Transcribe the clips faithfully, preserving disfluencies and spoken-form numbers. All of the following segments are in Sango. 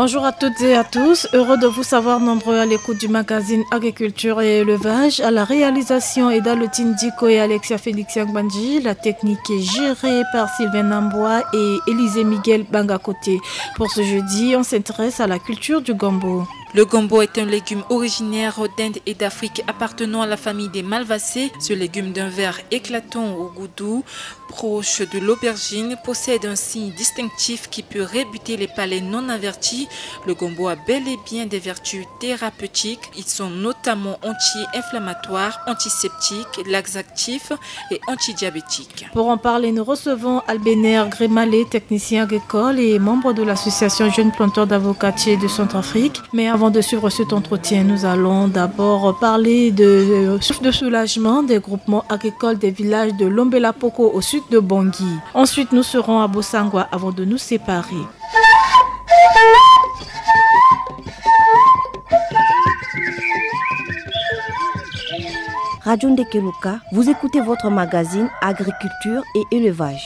Bonjour à toutes et à tous, heureux de vous savoir nombreux à l'écoute du magazine Agriculture et Élevage. À la réalisation, Eda Lotine Diko et Alexia Félix Yangbanji. La technique est gérée par Sylvain Nambois et Élisée Miguel Bangakoté. Pour ce jeudi, on s'intéresse à la culture du gombo. Le gombo est un légume originaire d'Inde et d'Afrique appartenant à la famille des malvacées. Ce légume d'un vert éclatant au goût doux, proche de l'aubergine, possède un signe distinctif qui peut rebuter les palais non avertis. Le gombo a bel et bien des vertus thérapeutiques. Ils sont notamment anti-inflammatoires, antiseptiques, laxatifs et antidiabétiques. Pour en parler, nous recevons Albéner Grémalé, technicien agricole et membre de l'association Jeunes Planteurs d'Avocatiers de Centrafrique. Mais avant de suivre cet entretien, nous allons d'abord parler de, euh, souffle de soulagement des groupements agricoles des villages de Lombela Poko au sud de Bangui. Ensuite, nous serons à Bossangoa avant de nous séparer. Radio Ndekeluka, vous écoutez votre magazine Agriculture et Élevage.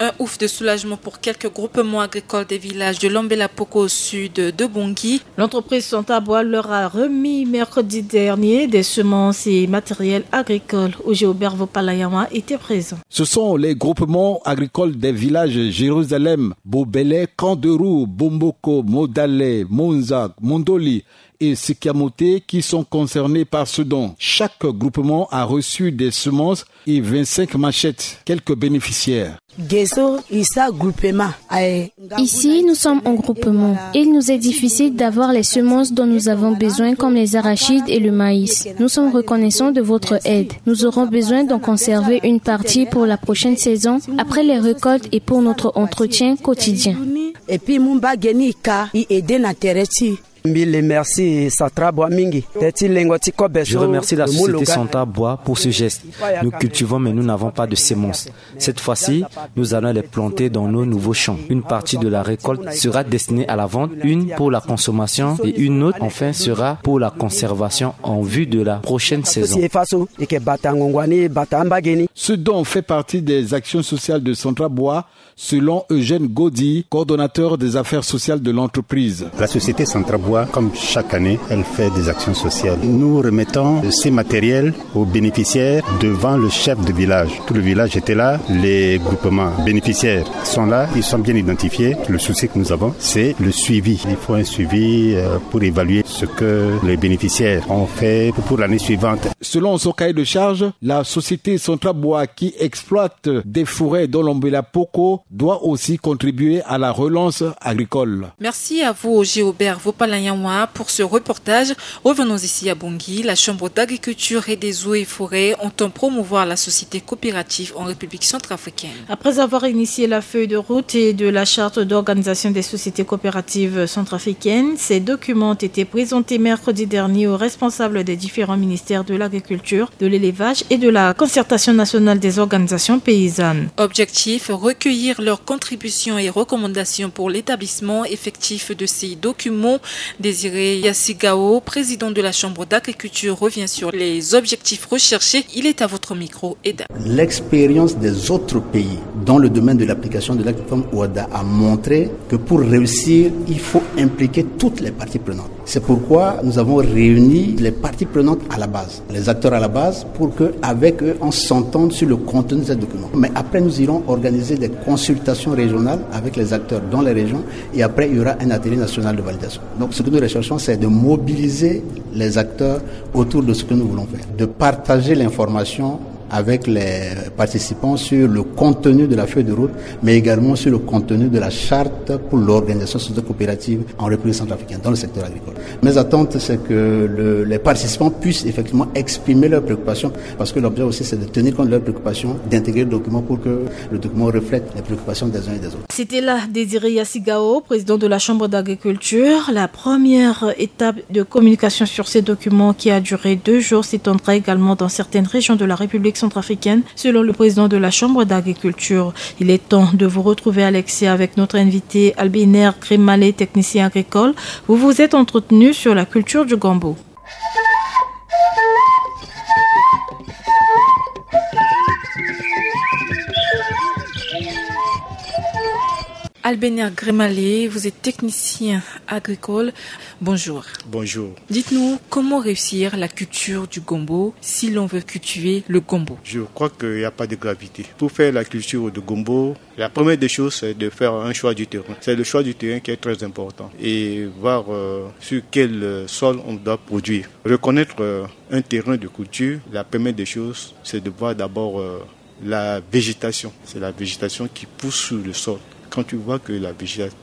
Un ouf de soulagement pour quelques groupements agricoles des villages de Lombela Poko au sud de Bangui. L'entreprise Santabois leur a remis mercredi dernier des semences et matériel agricole. Oger Aubert Vopalayawa était présent. Ce sont les groupements agricoles des villages Jérusalem, Bobele, Camp de Roux, Bomboko, Modale, Monza, Mondoli et Sikiamoté qui sont concernés par ce don. Chaque groupement a reçu des semences et vingt-cinq machettes. Quelques bénéficiaires. Ici, nous sommes en groupement. Il nous est difficile d'avoir les semences dont nous avons besoin, comme les arachides et le maïs. Nous sommes reconnaissants de votre aide. Nous aurons besoin d'en conserver une partie pour la prochaine saison, après les récoltes et pour notre entretien quotidien. Et puis, Mumba Genika, il aide na tereti. Mbi remercie Santabois mingi. Teti lengo ti kobe. Je remercie la société Santabois pour ce geste. Nous cultivons, mais nous n'avons pas de semences. Cette fois-ci, nous allons les planter dans nos nouveaux champs. Une partie de la récolte sera destinée à la vente, une pour la consommation et une autre, enfin, sera pour la conservation en vue de la prochaine saison. Ce don fait partie des actions sociales de Santabois, selon Eugène Godi, coordonnateur des affaires sociales de l'entreprise. La société Santabois, comme chaque année, elle fait des actions sociales. Nous remettons ces matériels aux bénéficiaires devant le chef de village. Tout le village était là, les groupements bénéficiaires sont là, ils sont bien identifiés. Le souci que nous avons, c'est le suivi. Il faut un suivi, euh, pour évaluer ce que les bénéficiaires ont fait pour l'année suivante. Selon son cahier de charge, la société Santabois qui exploite des forêts dans Lombela Poko doit aussi contribuer à la relance agricole. Merci à vous, Oger Aubert Vopalayawa, pour ce reportage. Revenons ici à Bangui. La Chambre d'agriculture et des eaux et forêts entend promouvoir la société coopérative en République centrafricaine. Après avoir initié la feuille de route et de la charte d'organisation des sociétés coopératives centrafricaines, ces documents ont été présentés mercredi dernier aux responsables des différents ministères de l'agriculture, de l'élevage et de la concertation nationale des organisations paysannes. Objectif, recueillir leurs contributions et recommandations pour l'établissement effectif de ces documents. Désiré Yassigao, président de la Chambre d'agriculture, revient sur les objectifs recherchés. Il est à votre micro, Eda. L'expérience des autres pays dans le domaine de l'application de l'acte conforme OHADA a montré que pour réussir, il faut impliquer toutes les parties prenantes. C'est pourquoi nous avons réuni les parties prenantes à la base, les acteurs à la base, pour que, avec eux, on s'entende sur le contenu de ces documents. Mais après, nous irons organiser des consultations régionales avec les acteurs dans les régions, et après, il y aura un atelier national de validation. Donc, ce que nous recherchons, c'est de mobiliser les acteurs autour de ce que nous voulons faire, de partager l'information avec les participants sur le contenu de la feuille de route, mais également sur le contenu de la charte pour l'organisation socio-coopérative en République centrafricaine, dans le secteur agricole. Mes attentes, c'est que le, les participants puissent effectivement exprimer leurs préoccupations, parce que l'objet aussi, c'est de tenir compte de leurs préoccupations, d'intégrer le document pour que le document reflète les préoccupations des uns et des autres. C'était là Désiré Yassigao, président de la Chambre d'agriculture. La première étape de communication sur ces documents qui a duré deux jours s'étendra également dans certaines régions de la République centrafricaine, selon le président de la Chambre d'agriculture. Il est temps de vous retrouver, Alexia, avec notre invité Albiner Grimale, technicien agricole. Vous vous êtes entretenu sur la culture du gombo. Albert Grémalé, vous êtes technicien agricole. Bonjour. Bonjour. Dites-nous, comment réussir la culture du gombo si l'on veut cultiver le gombo ? Je crois qu'il n'y a pas de gravité. Pour faire la culture de gombo, la première des choses, c'est de faire un choix du terrain. C'est le choix du terrain qui est très important. Et voir euh, sur quel euh, sol on doit produire. Reconnaître euh, un terrain de culture, la première des choses, c'est de voir d'abord euh, la végétation. C'est la végétation qui pousse sur le sol. Quand tu vois que la,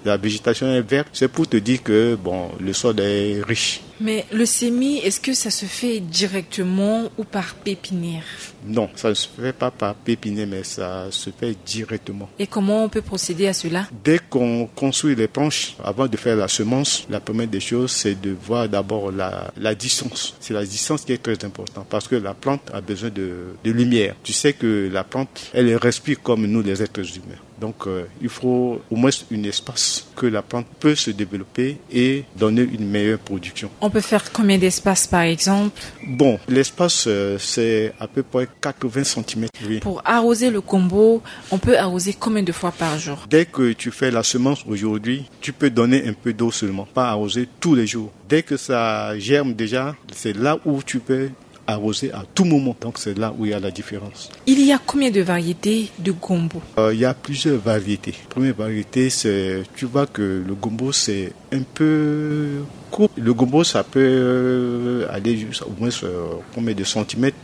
la végétation est verte, c'est pour te dire que bon, le sol est riche. Mais le semis, est-ce que ça se fait directement ou par pépinière ? Non, ça ne se fait pas par pépinière, mais ça se fait directement. Et comment on peut procéder à cela ? Dès qu'on construit les planches, avant de faire la semence, la première des choses, c'est de voir d'abord la, la distance. C'est la distance qui est très importante parce que la plante a besoin de, de lumière. Tu sais que la plante, elle respire comme nous les êtres humains. Donc, euh, il faut au moins un espace que la plante peut se développer et donner une meilleure production. On peut faire combien d'espace, par exemple ? Bon, l'espace, euh, c'est à peu près quatre-vingts centimètres. Oui. Pour arroser le gombo, on peut arroser combien de fois par jour ? Dès que tu fais la semence aujourd'hui, tu peux donner un peu d'eau seulement, pas arroser tous les jours. Dès que ça germe déjà, c'est là où tu peux arroser à tout moment. Donc c'est là où il y a la différence. Il y a combien de variétés de gombo ? Euh, il y a plusieurs variétés. La première variété, c'est, tu vois que le gombo, c'est un peu court. Le gombo, ça peut euh, aller jusqu'à au moins euh, combien de centimètres ?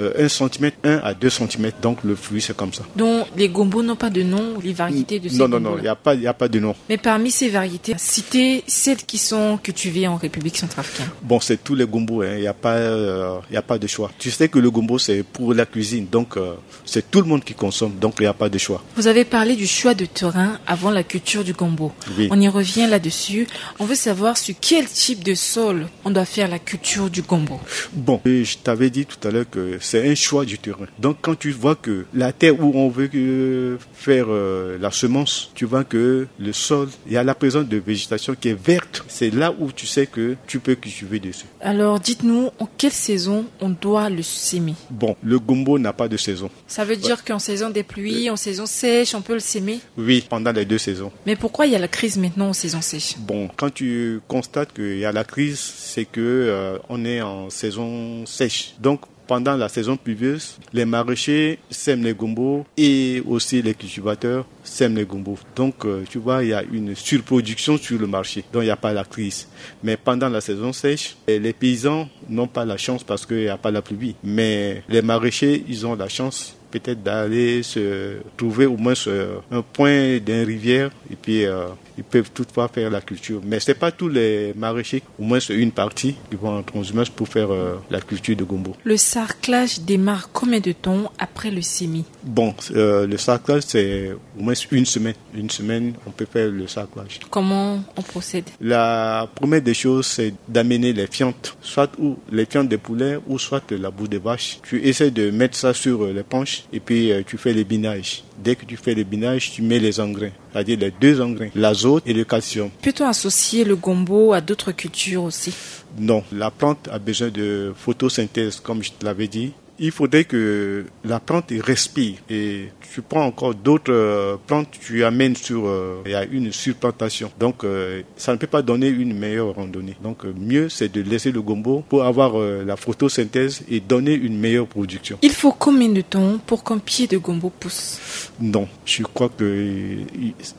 Euh, un centimètre, un à deux centimètres. Donc le fruit, c'est comme ça. Donc les gombos n'ont pas de nom, les variétés de ces Non, non, non, il n'y a, pas- il y a pas de nom. Mais parmi ces variétés, citez celles qui sont cultivées en République centrafricaine. Bon, c'est tous les gombos, hein. Il n'y a, pas, euh, il y a pas de choix. Tu sais que le gombo, c'est pour la cuisine, donc euh, c'est tout le monde qui consomme, donc il n'y a pas de choix. Vous avez parlé du choix de terrain avant la culture du gombo. Oui. On y revient là-dessus. On veut savoir sur quel type de sol on doit faire la culture du gombo. Bon, et je t'avais dit tout à l'heure que c'est un choix du terrain. Donc quand tu vois que la terre où on veut euh, faire euh, la semence, tu vois que le sol, il y a la présence de végétation qui est verte. C'est là où tu sais que tu peux cultiver dessus. Alors dites-nous, en quelle saison on doit le semer ? Bon, le gombo n'a pas de saison. Ça veut dire qu'en saison des pluies, en saison sèche, on peut le semer ? Oui, pendant les deux saisons. Mais pourquoi il y a la crise maintenant en saison sèche ? Bon, quand tu constates qu'il y a la crise, c'est que euh, on est en saison sèche. Donc, pendant la saison pluvieuse, les maraîchers sèment les gombos et aussi les cultivateurs sèment les gombos. Donc, euh, tu vois, il y a une surproduction sur le marché. Donc, il n'y a pas la crise. Mais pendant la saison sèche, eh, les paysans n'ont pas la chance parce qu'il n'y a pas la pluie. Mais les maraîchers, ils ont la chance peut-être d'aller se trouver au moins euh, un point d'une rivière et puis euh, ils peuvent toutefois faire la culture. Mais ce n'est pas tous les maraîchers, au moins c'est une partie, qui vont en transhumance pour faire euh, la culture de gombo. Le sarclage démarre combien de temps après le semis ? Bon, euh, le sarclage, c'est au moins une semaine. Une semaine, on peut faire le sarclage. Comment on procède ? La première des choses, c'est d'amener les fientes, soit ou les fientes de poulet ou soit la boue de vache. Tu essaies de mettre ça sur euh, les planches et puis euh, tu fais les binages. Dès que tu fais les binages, tu mets les engrais, c'est-à-dire les deux engrais, l'azote et le calcium. Peut-on associer le gombo à d'autres cultures aussi ? Non, la plante a besoin de photosynthèse, comme je te l'avais dit. Il faudrait que la plante respire et tu prends encore d'autres euh, plantes, tu amènes sur, euh, il y a une surplantation. Donc, euh, ça ne peut pas donner une meilleure randonnée. Donc, euh, mieux, c'est de laisser le gombo pour avoir euh, la photosynthèse et donner une meilleure production. Il faut combien de temps pour qu'un pied de gombo pousse ? Non, je crois qu'il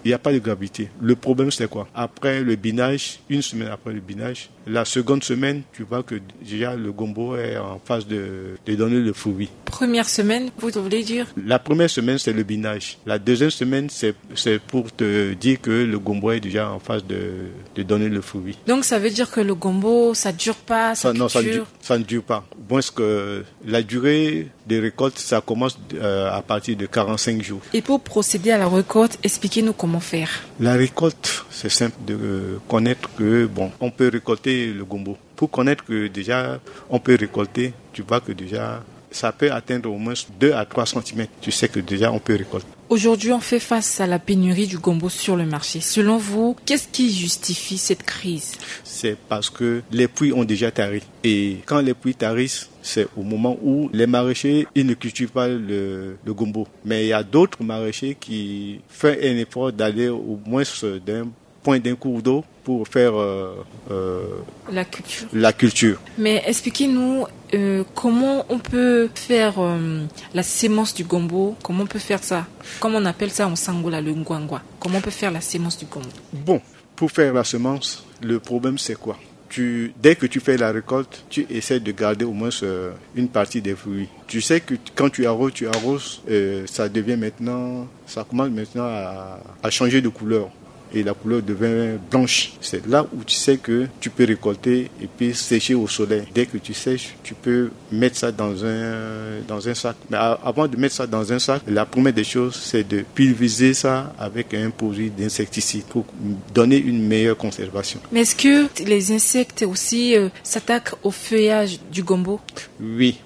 n'y a pas de gravité. Le problème, c'est quoi ? Après le binage, une semaine après le binage, la seconde semaine, tu vois que déjà le gombo est en phase de, de donner le fruit. Première semaine, vous voulez dire ? La première semaine, c'est le binage. La deuxième semaine, c'est pour te dire que le gombo est déjà en phase de, de donner le fruit. Donc ça veut dire que le gombo, ça ne dure pas, ça, ça, non, ça, ne, dure... ça ne dure pas. Bon, est-ce que la durée des récoltes, ça commence euh, à partir de quarante-cinq jours. Et pour procéder à la récolte, expliquez-nous comment faire. La récolte, c'est simple de euh, connaître que, bon, on peut récolter le gombo. Pour connaître que déjà, on peut récolter, tu vois que déjà, ça peut atteindre au moins deux à trois centimètres. Tu sais que déjà, on peut récolter. Aujourd'hui, on fait face à la pénurie du gombo sur le marché. Selon vous, qu'est-ce qui justifie cette crise ? C'est parce que les prix ont déjà tari. Et quand les prix tarissent, c'est au moment où les maraîchers, ils ne cultivent pas le, le gombo. Mais il y a d'autres maraîchers qui font un effort d'aller au moins d'un point, d'un cours d'eau pour faire euh, euh, la culture. La culture. Mais expliquez-nous euh, comment on peut faire euh, la sémence du gombo, comment on peut faire ça, comme on appelle ça en sangola, le ngwangwa. Comment on peut faire la sémence du gombo ? Bon, pour faire la semence, le problème c'est quoi ? Tu, dès que tu fais la récolte, tu essaies de garder au moins euh, une partie des fruits. Tu sais que quand tu arroses, tu arroses, euh, ça devient maintenant, ça commence maintenant à, à changer de couleur. Et la couleur devient blanche. C'est là où tu sais que tu peux récolter et puis sécher au soleil. Dès que tu sèches, tu peux mettre ça dans un, dans un sac. Mais avant de mettre ça dans un sac, la première des choses, c'est de pulvériser ça avec un produit d'insecticide pour donner une meilleure conservation. Mais est-ce que les insectes aussi euh, s'attaquent au feuillage du gombo ? Oui,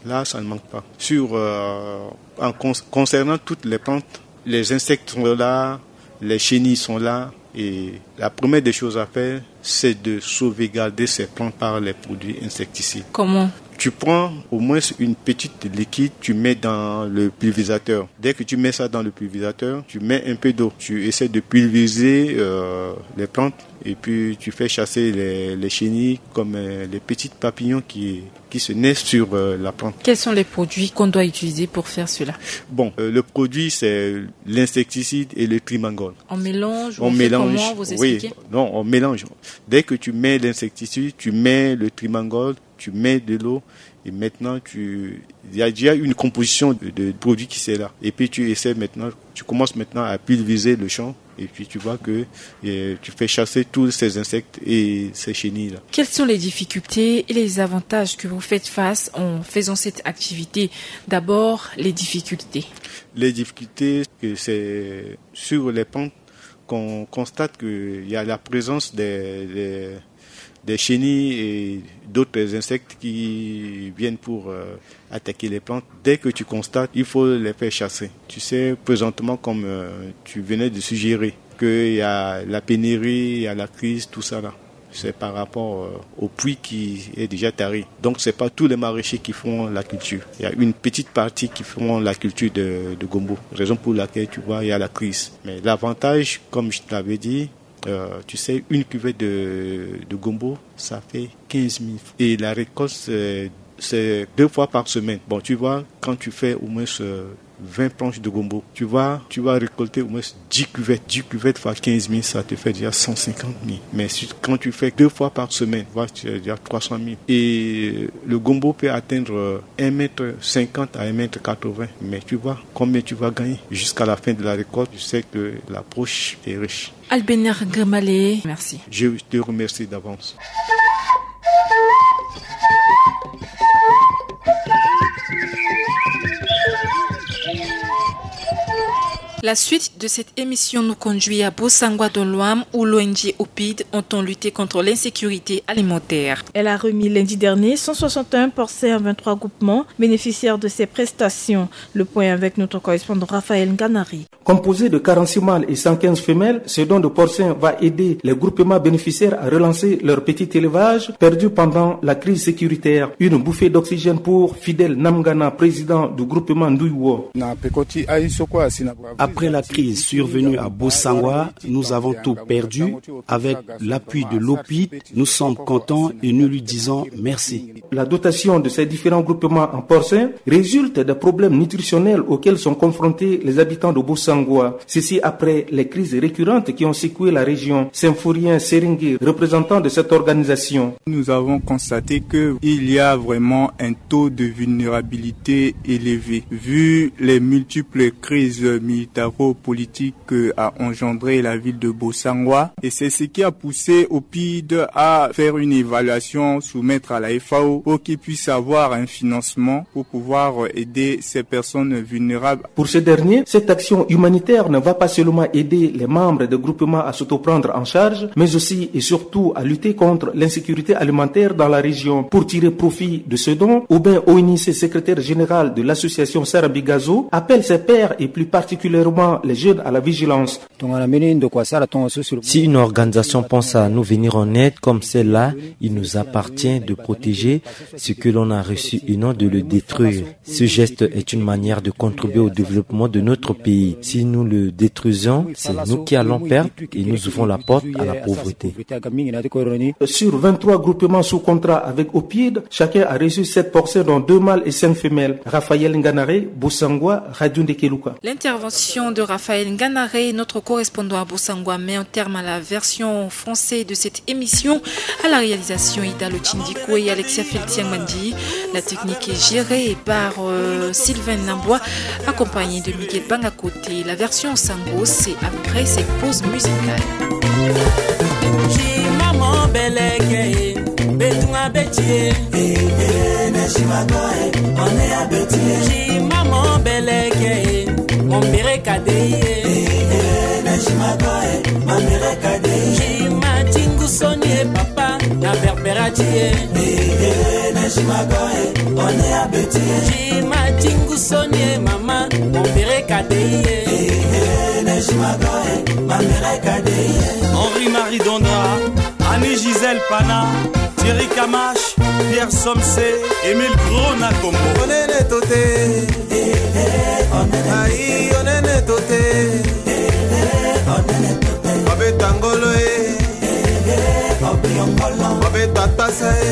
là, ça ne manque pas. Sur, euh, en con concernant toutes les plantes, les insectes sont là, les chenilles sont là. Et la première des choses à faire, c'est de sauvegarder ces plantes par les produits insecticides. Comment ? Tu prends au moins une petite liquide, tu mets dans le pulvérisateur. Dès que tu mets ça dans le pulvérisateur, tu mets un peu d'eau. Tu essaies de pulvériser euh, les plantes et puis tu fais chasser les, les chenilles comme euh, les petits papillons qui, qui se naissent sur euh, la plante. Quels sont les produits qu'on doit utiliser pour faire cela ? Bon, euh, le produit, c'est l'insecticide et le trimangol. On mélange, on, on mélange, fait comment, vous expliquez ? Non, on mélange. Dès que tu mets l'insecticide, tu mets le trimangol, tu mets de l'eau et maintenant tu il y a déjà une composition de, de produits qui c'est là. Et puis tu essaies maintenant, tu commences maintenant à pulvériser le champ et puis tu vois que euh, tu fais chasser tous ces insectes et ces chenilles-là. Quelles sont les difficultés et les avantages que vous faites face en faisant cette activité ? D'abord, les difficultés. Les difficultés, c'est sur les pentes qu'on constate qu'il y a la présence des, des, des chenilles et d'autres insectes qui viennent pour euh, attaquer les plantes. Dès que tu constates, il faut les faire chasser. Tu sais, présentement, comme euh, tu venais de suggérer, qu'il y a la pénurie, il y a la crise, tout ça là. C'est par rapport euh, au prix qui est déjà taré. Donc, c'est pas tous les maraîchers qui font la culture. Il y a une petite partie qui font la culture de, de gombo. Raison pour laquelle, tu vois, il y a la crise. Mais l'avantage, comme je te l'avais dit, euh, tu sais, une cuvette de, de gombo, ça fait quinze mille. Et la récolte, c'est deux fois par semaine. Bon, tu vois, quand tu fais au moins ce vingt planches de gombo. Tu vas, tu vas récolter au moins dix cuvettes. Dix cuvettes fois quinze mille, ça te fait déjà cent cinquante mille. Mais si, quand tu fais deux fois par semaine, voilà, tu as déjà trois cent mille. Et le gombo peut atteindre un mètre cinquante à un mètre quatre-vingts. Mais tu vois combien tu vas gagner jusqu'à la fin de la récolte. Tu sais que la poche est riche. Albener Grimale, merci. Je te remercie d'avance. La suite de cette émission nous conduit à Bossangoa dans l'Ouham, où l'O N G OPID entend lutter contre l'insécurité alimentaire. Elle a remis lundi dernier cent soixante et un porcins à vingt-trois groupements bénéficiaires de ces prestations. Le point avec notre correspondant Raphaël Nganari. Composé de quarante-six mâles et cent quinze femelles, ce don de porcins va aider les groupements bénéficiaires à relancer leur petit élevage perdu pendant la crise sécuritaire. Une bouffée d'oxygène pour Fidèle Namgana, président du groupement Ndouiwo. Après la crise survenue à Bossangoa, nous avons tout perdu. Avec l'appui de l'OPID, nous sommes contents et nous lui disons merci. La dotation de ces différents groupements en porcins résulte des problèmes nutritionnels auxquels sont confrontés les habitants de Bossangoa. Ceci après les crises récurrentes qui ont secoué la région. Symphorien Seringue, représentant de cette organisation. Nous avons constaté qu'il y a vraiment un taux de vulnérabilité élevé. Vu les multiples crises militaro-politiques, Politique a engendré la ville de Bossangwa et c'est ce qui a poussé OPID à faire une évaluation, soumettre à la F A O pour qu'il puisse avoir un financement pour pouvoir aider ces personnes vulnérables. Pour ce dernier, cette action humanitaire ne va pas seulement aider les membres des groupements à s'autoprendre en charge, mais aussi et surtout à lutter contre l'insécurité alimentaire dans la région. Pour tirer profit de ce don, Aubin Oinissé, secrétaire général de l'association Sarabigazo, appelle ses pairs et plus particulièrement les jeunes à la vigilance. Si une organisation pense à nous venir en aide comme celle-là, il nous appartient de protéger ce que l'on a reçu et non de le détruire. Ce geste est une manière de contribuer au développement de notre pays. Si nous le détruisons, c'est nous qui allons perdre et nous ouvrons la porte à la pauvreté. Sur vingt-trois groupements sous contrat avec OPID, chacun a reçu sept porcées, dont deux mâles et cinq femelles. Raphaël Nganare, Bossangwa, Radio Ndekeluka. L'intervention de Raphaël Nganare, notre correspondant à Bossangwa, met un terme à la version française de cette émission. À la réalisation, Ida Lotindiko et Alexia Feltiangmandi. La technique est gérée par, euh, Sylvain Nambois, accompagné de Miguel Bangakote. La version Sango, c'est après cette pause musicale. Jima mobeleke, betunga betie. Eh, eh, na jima go, eh, on est à Béthier. Jima mobeleke, mon bere kadei. Eh, eh, na jima go, eh, mon bere kadei. Jima tingu sonie papa, na berberatie. Eh, eh, na jima go, eh, on est à Béthier. Jima tingu sonie mama, mon bere kadei. Eh, eh, na jima go, eh, mon bere kadei. Henri-Marie Dondra, Annie Gisèle Pana, Thierry Kamache, Pierre Somse, Émile Gros na Kombo. Onene tote. Aïe, onene tote. Babeta ngolo e. Babeta tasa e.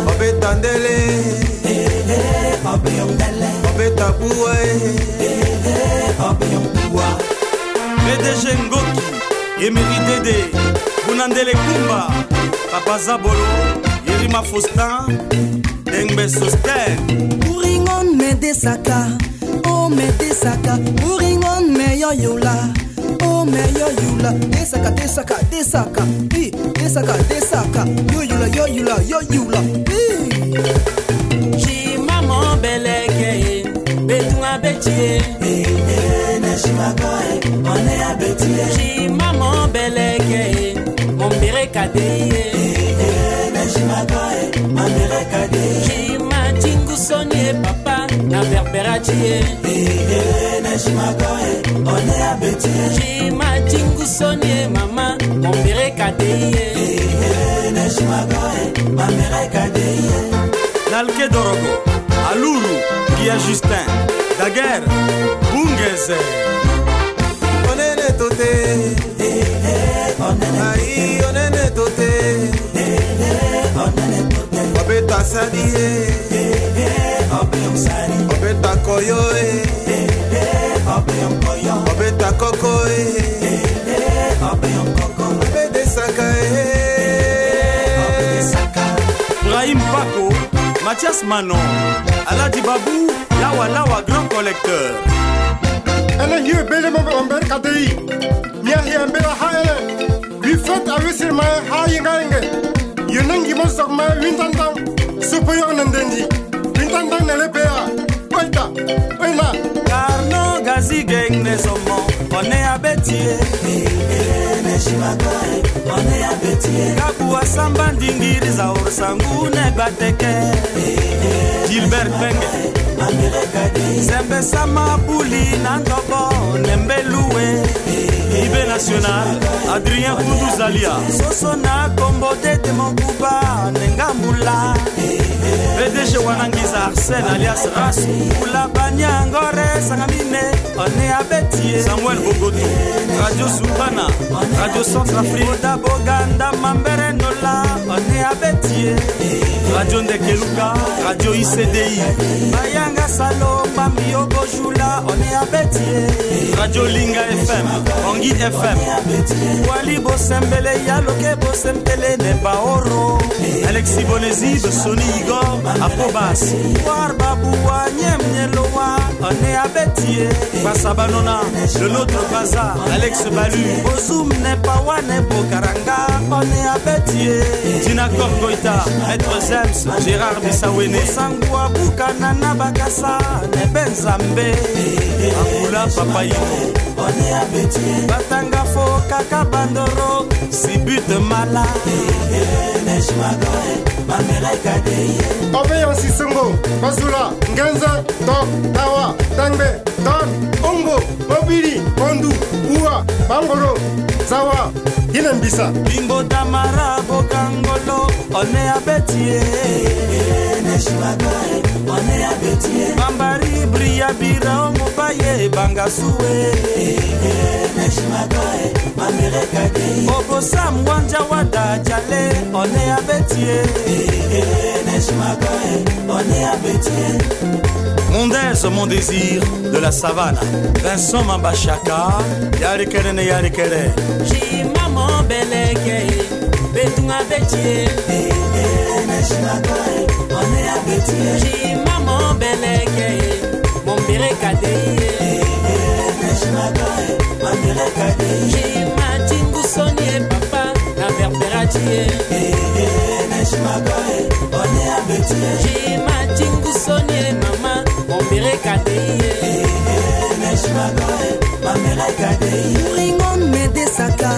Babeta ndele. Babeta bua e. P D G Ngoki, Emery Dede, Bunandele Kumba, Papa Zabolo, Yerima Faustin, Dengbe Sosten. Uringon me desaka, o me desaka, uringon me yoyula, o me yoyula, desaka, desaka, desaka, i, desaka, desaka, yoyula, yoyula, yoyula, i. Jima mobeleke, betunga betie. Eh, eh, na jima go, eh, on est à Béthier. Jima mobeleke, mon bere kadei. Eh, eh, na jima go, eh, mon bere kadei. Jima tingu sonie papa, na berberatie. Eh, eh, na jima go, eh, on est à Béthier. Jima tingu sonie mama, mon bere kadei. Eh, eh, na jima go, eh, mon bere kadei. Nalke Dorogo, Aluru, Guilla Justin, Daguerre, Bungeze. Onene tote. Aïe, onene tote. Babeta sadi e. Babeta koyo e. Babeta koko e. Babeta saka e. Brahim Pako, Mathias Manon, Aladi Babou, Lawa Lawa, grand collecteur. Ene hio bele mo mbere kadei. Mia hia mbere ha ene. Wi fete awe sir ma ha yinga yinge. Yene ngi mo sok ma wintantan. Supo yo na ndendi. Wintantan na le pea. Oita, oina. Carnot Gazi Gang ne somo, on est à Béthier. Eh, eh, ne shimagoe, on est à Béthier. Gabu Asamba Ndingiri Zaor Sangu ne Gbateke. Eh, eh, Gilbert Penge. Zembe Sama Buli na Ndobo ne Mbelue. Eh, eh, Ibe National, Adrien Koudou Zalia. Soso na Kombo Tete Mokuba ne Ngambula. P D G Wanangiza Arsène alias Ras. Kula Banyangore Sangamine, on est à Béthier. Samuel Bogoto, Radio Souvana, Radio Centrafrique. Boda Boganda Mambere Nola, on est à Béthier. Radio Ndekeluka, Radio I C D I. Bayanga Salo, Bambi Obojula, on est à Béthier. Radio Linga F M, Bangui F M. Wali Bosembele, Yaloke Bosembele, Nebaoro. Alexis Bonezib, Sony Igor, Apobas. War Babou Wanyem Nyelowa. On est à Bétier. Basabanona, le nôtre bazar, Alex Balu. Bozum ne pawane bokaranga, on est à Bétier. Dina Kop Goïta, Maître Zems, Gérard Bissawene. Sangu abuka na na bakasa, ne benzambe. Akula papa yino. On est à Bétier. Batanga fo kaka bandoro, sibut mala. Neshmagoe, mamela kadeye. Obe yansi songo, bazula, ngenze, tok, tawa, tangbe, ton, ongo, mobili, kondu, uwa, bangoro, zawa, hine mbisa. Bingo damara bokangolo, on est à Bétier. Neshmagoe, on est à Bétier. Bambari bria bira omobaye bangasue. Neshmagoe, mamela kadeye. Obosam wanja wada jale, on est à Bétier. Neshmagoe, on est à Bétier. Mon désir, mon désir de la savane. Vincent Mambashaka, Yarikere ne Yarikere. Jima mo beleke, betunga betie. Jima mo beleke, mo mbere kadeye. Jima tingu soni e papa, na berbera tie. Jima tingu soni e mama, mo mbere kadeye. Uringon me desaka,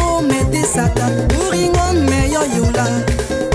o me desaka. Uringon me yo yula,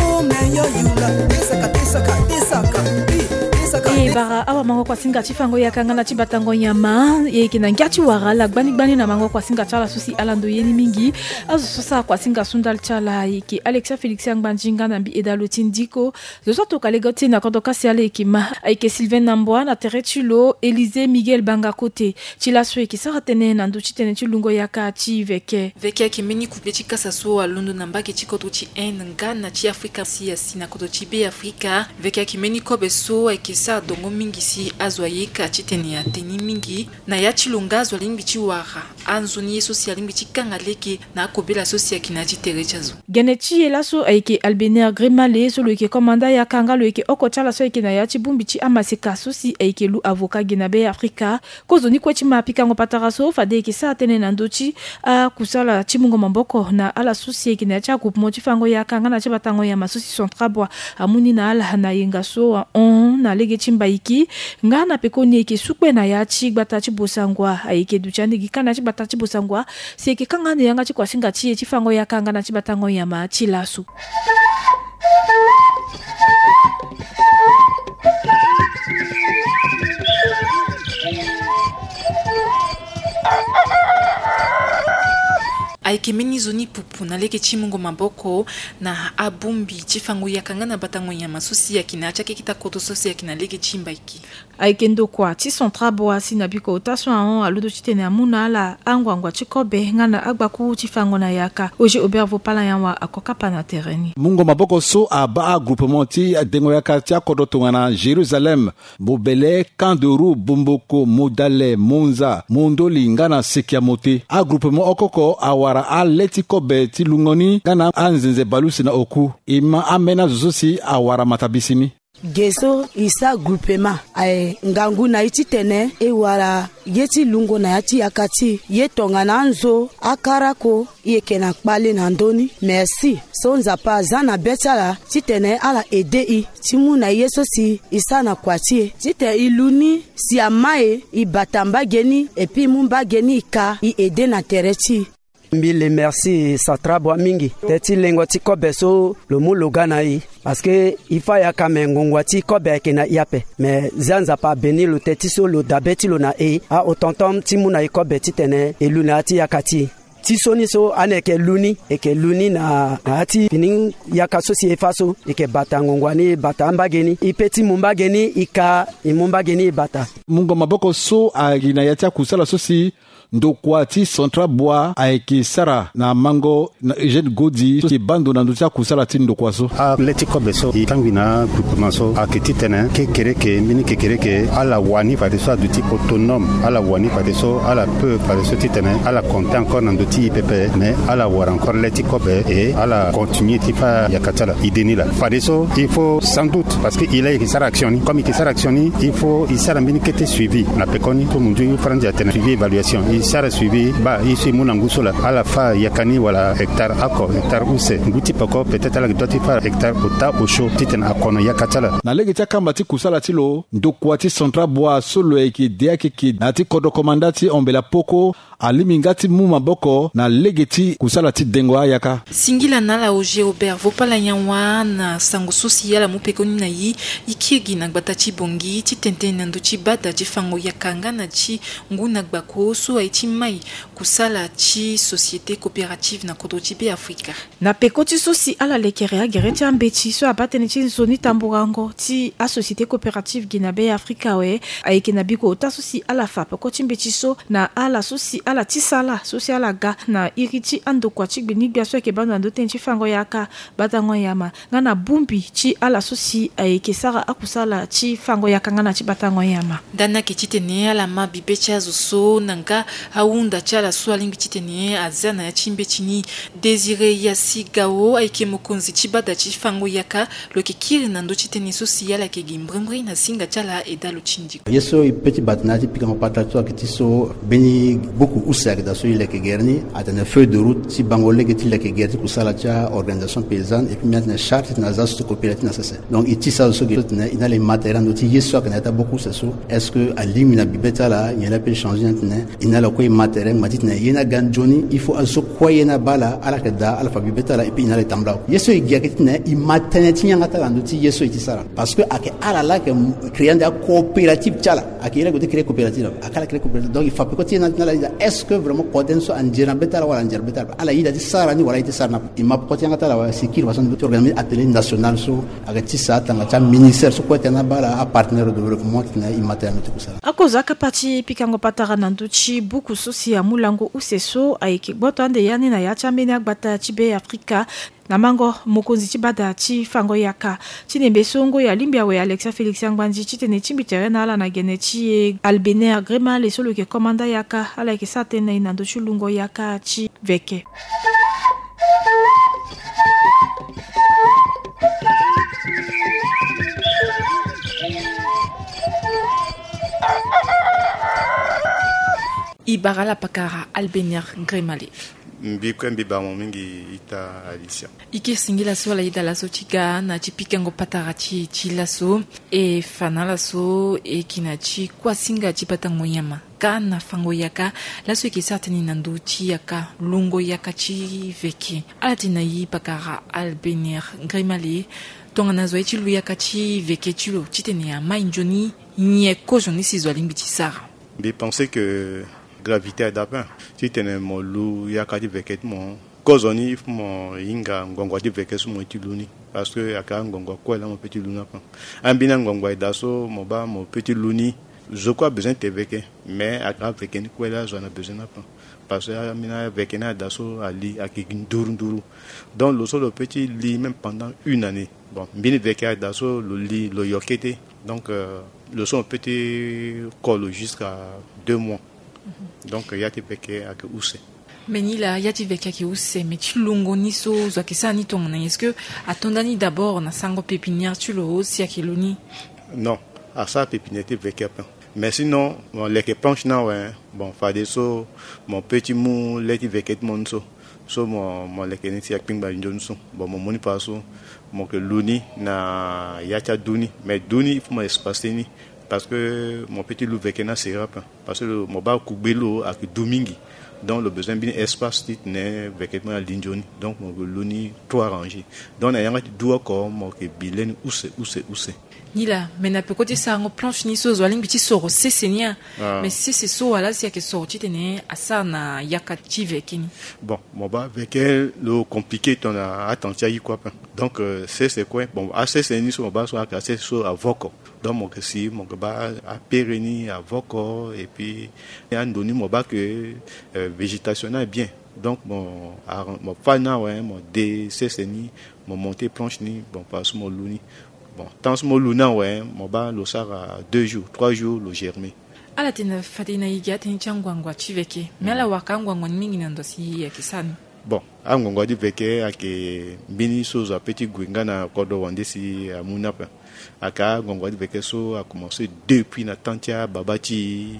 o me yo yula. Desaka, desaka, desaka, i, desaka, e desaka. Bara awa mango kuasinga ti fango yaka nga na ti batango nyama. E yeke na ngia ti wara ala gbani gbani na mango kuasinga ti ala so si ala ndo ye ni mingi. Azo so sara kuasinga so ndali ti ala ayeke Alexia Félix Angbanzi nga na mbi Eda Loti Ndiko. Zo so atoka lege ti na kodro kasi ala yeke ma, ayeke Sylvain Nambwa na tere ti lo, Élysée Miguel Banga Kote. Ti laso e yeke sara tënë na ndö ti tënë ti lungo yaka ti veke. Veke ayeke mbeni kupe ti kasa so alondo na mbage ti kodro ti Inde nga na ti Afrika si asi na kodro ti Be Afrika. Veke ayeke mbeni kobe so ayeke sara dongo mingi si azo ayeka titene ateni mingi. Na ya ti lo nga azo alingbi ti wara anzoni ye so si alingbi ti kanga lege na akobela so si ayeke na ya ti tere ti azo. Gene ti e laso ayeke Albener Grimale so lo yeke komanda yaka nga lo yeke oko ti ala so ayeke na ya ti bongbi ti amaseka so si ayeke lu avoka ge na Be Afrika. Kozoni kue ti ma pikango patara so fade e yeke sara tënë na ndö ti akusala ti mungo maboko na ala so si ayeke na ya ti agroupement ti fango yaka nga na ti batango nyama so si Centrabwa amu ni na ala na yenga so ahon na lege ti Mbaiki. Nga na pekoni e yeke sukpe na ya ti gbata ti Bosangwa, ayeke duti ande gi kanda ti gbata ti Bosangwa si e yeke kanga ande yanga ti kuasinga ti e ti fango yaka nga na ti batango nyama ti laso. Ayeke mbeni nzoni pupu na lege ti mungo maboko na abongbi ti fango yaka nga na batango nyama so si ayeke na ya ti akekita koto so si ayeke na lege ti Mbaiki. Ayeke ndokua ti Centrabwa si na biko ota so ahon alondo titene amu na ala anguangu ti kobe nga na agbakuru ti fango na yaka. Oge Aubert Vopala Yanwa ako kapa na tere ni. Mungo maboko so abaa agroupement ti dengo yaka ti akodro tongana Jérusalem, Bobele, Camp de Roue, Bomboko, Modale, Monza, Mondoli nga na Sekiamote. Agroupement oko oko awara ale ti kobe ti lungo ni nga na anzenze bale use na oku. E ma ambeni azo so si awara matabisi ni. Ge so e sara groupement aye ngangu na e titene e wara ye ti lungo na ya ti yaka ti e, ye tongana anzo, akarako, e yeke na kpale na ndö ni. Merci so Nzapa aza na be ti ala titene ala aide e ti mu na e ye so si e sara na kua ti e titene e lu ni si ama e, e bata mbage ni, et puis e mu mbage ni e ka e aide na tere ti e. Mbi remercie Centrabwa mingi te ti lengo ti kobe so lo mu lo ga na e, parce que e fa yaka me ngongua ti kobe ayeke na e ape. Me zia Nzapa abeni lo te ti so lo dabe ti lo na e, a-autant ti mu na e kobe titene e lu na ya ti yaka ti e. Ti so ni so ane e yeke lu ni, e yeke lu ni na, na ya ti fini yaka so si e fa so, e yeke bata ngongua ni, e bata ambage ni, e pe ti mu mbage ni e ka, e mu mbage ni e bata. Mungo maboko so ayeke na ya ti akusala so si ndokua ti Central Bois ayeke sara na mango na Eugène Godi so si e baa ndo na ndö ti akusala ti ndokua so. Ale ti kobe so e kangbi na agroupement so ayeke titene kekereke mbeni kekereke ala wani fadeso aduti autonome, ala wani fadeso ala peut fadeso titene ala compter encore na ndö ti e pepe, mais ala wara encore le ti kobe et ala continuer ti fa yaka ti ala. Idée ni laa fadeso il faut sans doute parce que e laa e yeke sara action ni, comme e yeke sara action ni il faut e sara mbeni kete suivi na pekoni so munzu franzi atene suivi évaluation. E sara suivi baa e so e mu na ngu so laa ala fa yaka ni wala hectare oko, hectare use. Ngu ti peko peut-être ala yeke dua ti fa hectare ota osio titene akono yaka ti ala. Na lege ti akamba ti kusala ti lo, ndokua ti Central Bois so lo yeke de akeke na ya ti kodro komanda ti Ombela Poko alingbi nga ti mu maboko na lege ti kusala ti dengo ayaka. Singila na ala Oger Robert Vopala Nyawa na sango so si ala mu pekoni na e, e kiri gi na gbata ti Bangui ti tene tënë na ndö ti bada ti fango yaka nga na ti ngu na gbako so aye ti mai kusala ti société coopérative na kodro ti Beafrika. Na peko ti so si ala lekere agere ti ambeti so abaa tënë ti nzoni tamburango ti asociété coopérative gi na Beafrika awe, ayeke na biko ota so si ala fa peko ti mbeti so na ala so si ala tisa ala so si ala ga na iri ti andokua ti gbinigbia so ayeke baa ndo na ndö tënë ti fango yaka, batango nyama nga na bongbi ti ala so si ayeke sara akusala ti fango yaka nga na ti batango nyama. Ndani ayeke titene ala ma bibe ti azo so na nga ahunda ti ala so alingbi titene aza na ya ti mbeti ni. Désiré Yassi Gao ayeke mokonzi ti bada ti fango yaka, lo yeke kiri na ndö ti tënë so si ala yeke gi mbrimbri na singa ti ala e daa lo ti ndiko. Ye so e pe ti bata na ya ti pikango patara ti so ayeke ti so mbeni buku use ayeke daa so e leke gere ni atene feuille de route ti bango lege ti leke gere ti kusala ti a-organisation paysanne et puis mbi atene charte titene aza so ti coopérative na sese. Donc e tisa azo so gere so titene e na ala e ma tere na ndö ti ye so ayeke na ya ti abuku use so, est-ce que alingbi na bibe ti ala nyen la pe e changer ni atene e na ala kue e ma tere ngba titene ye ni aga nzoni. Il faut azo so kue ye ni abaa ala ala yeke daa ala fa bibe ti ala et puis e na ala e tambula. Ye so e gi ayeke titene e ma tënë ti yanga ti ala na ndö ti ye so e ti sara. Parce que ayeke ala la ayeke créer ande acoopérative ti ala. Ayeke ye la gue ti créer coopérative la ayeke ala créer coopérative. Donc e fa peko ti ye ni atene ala yeda est-ce que vraiment kode ni so anzere na be ti ala wala anzere na be ti ala, ala yeda ti sara ni wala aye ti sara ni ape. E ma peko ti yanga ti ala awe si e kiri fadeso ti organiser atelier national so ayeke tisa atanga ti aministère so kue ti na abaa ala apartenaire de développement titene e ma tënë na ndö ti kusala. Akozo akapa ti pikango patara na ndö ti buku so si amu lango use so ayeke gboto ande ya ni na ya ti ambeni agbata ti Beafrika. Na mango mokonzi ti bada ti fango yaka ti nembe so ngoi alingbi awe Alexia Félix Angbandi titene e tingbi tere na ala na gene ti e Albener Gremale so lo yeke komanda yaka, ala yeke sara tënë na e na ndö ti lungo yaka ti veke. E bara ala pakara Albener Gremale. Mbi kue mbi baa mo mingi ita Alicia. E kiri singila so ala yeda laso ti ga na ti pikango patara ti e ti laso. E fa na ala so e yeke na ti kuasinga ti batango nyama ka na fango yaka. Laso e yeke sara tënë na ndö ti yaka, lungo yaka ti veke. Ala tene na e pakara Albener Gremale, tongana zo aye ti lu yaka ti veke ti lo titene amai nzoni, nyen kozoni si zo alingbi ti sara? Mbi pense que gravité aye daa ape titene mo lu yaka ti veke ti mo. Kozoni il faut mo hinga ngongo ti veke so mo ye ti lu ni. Parce que ayeke angongo kue laa mo pe ti lu ni ape. Ambeni angongo aye daa so mo baa mo pe ti lu ni. Zo kue abezoin te veke, mais ayeke aveke ni kue laa zo ana bezoin ni ape. Parce que ambeni aveke ni aye daa so ali ayeke gi nduru nduru. Donc lo so lo pe ti li même pendant une année. Bon, mbeni veke aye daa so lo li lo yo kete. Donc euh, lo so mo pe ti ko lo jusqu'à deux mois. Donc ya ti veke ayeke use. Mais ni laa ya ti veke ayeke use, mais ti lungo ni so zo ayeke sara ni tongana nyen? Est-ce que ato nda ni d'abord na sango pépinière ti lo si ayeke lu ni? Non, asara pépinière ti veke ape. Mais sinon mo leke planche ni awe. Bon, fadeso mo pe ti mu le ti veke ti mo ni so, so mo mo leke ni si akpingba nzoni so. Bon, mo mu ni fa so mo yeke lu ni na ya ti adu ni. Mais du ni il faut mo espace ni. Parce que mo pe ti lu veke ni aseri ape. Parce que mo baa kugbe lo ayeke du mingi. Donc lo bezoin mbeni espace titene veke ti mo ni ali nzoni. Donc mo yeke lu ni trois rangées. Donc na yanga ti du oko mo yeke bi le ni use use use. Ni laa, mais na peko ti sarango planche ni so zo alingbi ti soro sese ni a. Mais sese so wala si ayeke soro titene asara na yaka ti veke ni? Bon, mo baa veke lo compliqué tongana atang ti ayi kue ape. Donc sese kue, bon, asese ni so mo baa so ayeke asese so avoko. Donc mo yeke si mo yeke baa apere ni avoko. Et puis ando ni mo baa ke végétation ni abien. Donc mo fa ni awe, mo de sese ni, mo monte planche ni, bon, par so mo lu ni. Bon, temps so mo lu ni awe, mo baa lo sara deux jours, trois jours lo germe. Ala tene fade na igi atënë ti anguangua ti veke, mais ala waka anguangua ni mingi na ndo si ayeke sara ni. Bon, anguangua ti veke ayeke mbeni so zo ape ti gue nga na kodro wande si amu ni ape. Aka anguangua ti veke so akomanse depuis na temps ti ababa ti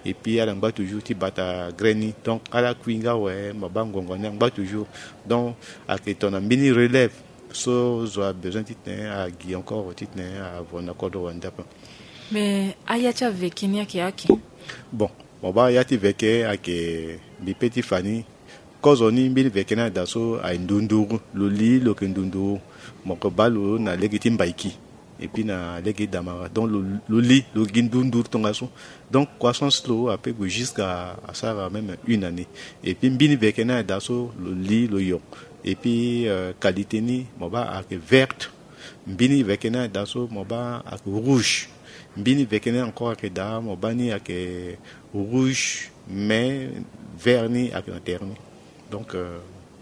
e. Et puis ala ngba toujours ti bata graine ni. Donc ala kui nga awe, mo baa anguangua ni angba toujours. Donc ayeke tongana mbeni relève so zo abezoin titene agi encore titene avo na kodro wande ape. Mais aya ti aveke ni ayeke ake? Bon, mo baa aya ti veke ayeke, mbi pe ti fa ni. Kozo ni mbeni veke ni ada so aye ndunduru, lo li lo yeke ndunduru. Mo yeke baa lo na lege ti mbaiki et puis na lege ti damara. Donc lo, lo li lo gi ndunduru tongaso. Donc croissance lo ape gue jusqu'à asara même une année. Et puis mbeni veke ni ada so lo li lo yo. Et puis qualité ni mo baa ayeke verte. Mbeni veke ni ada so mo baa ayeke rouge. Mbeni veke ni encore ayeke daa, mo baa ni ayeke rouge, mais vert ni ayeke na tere ni. Donc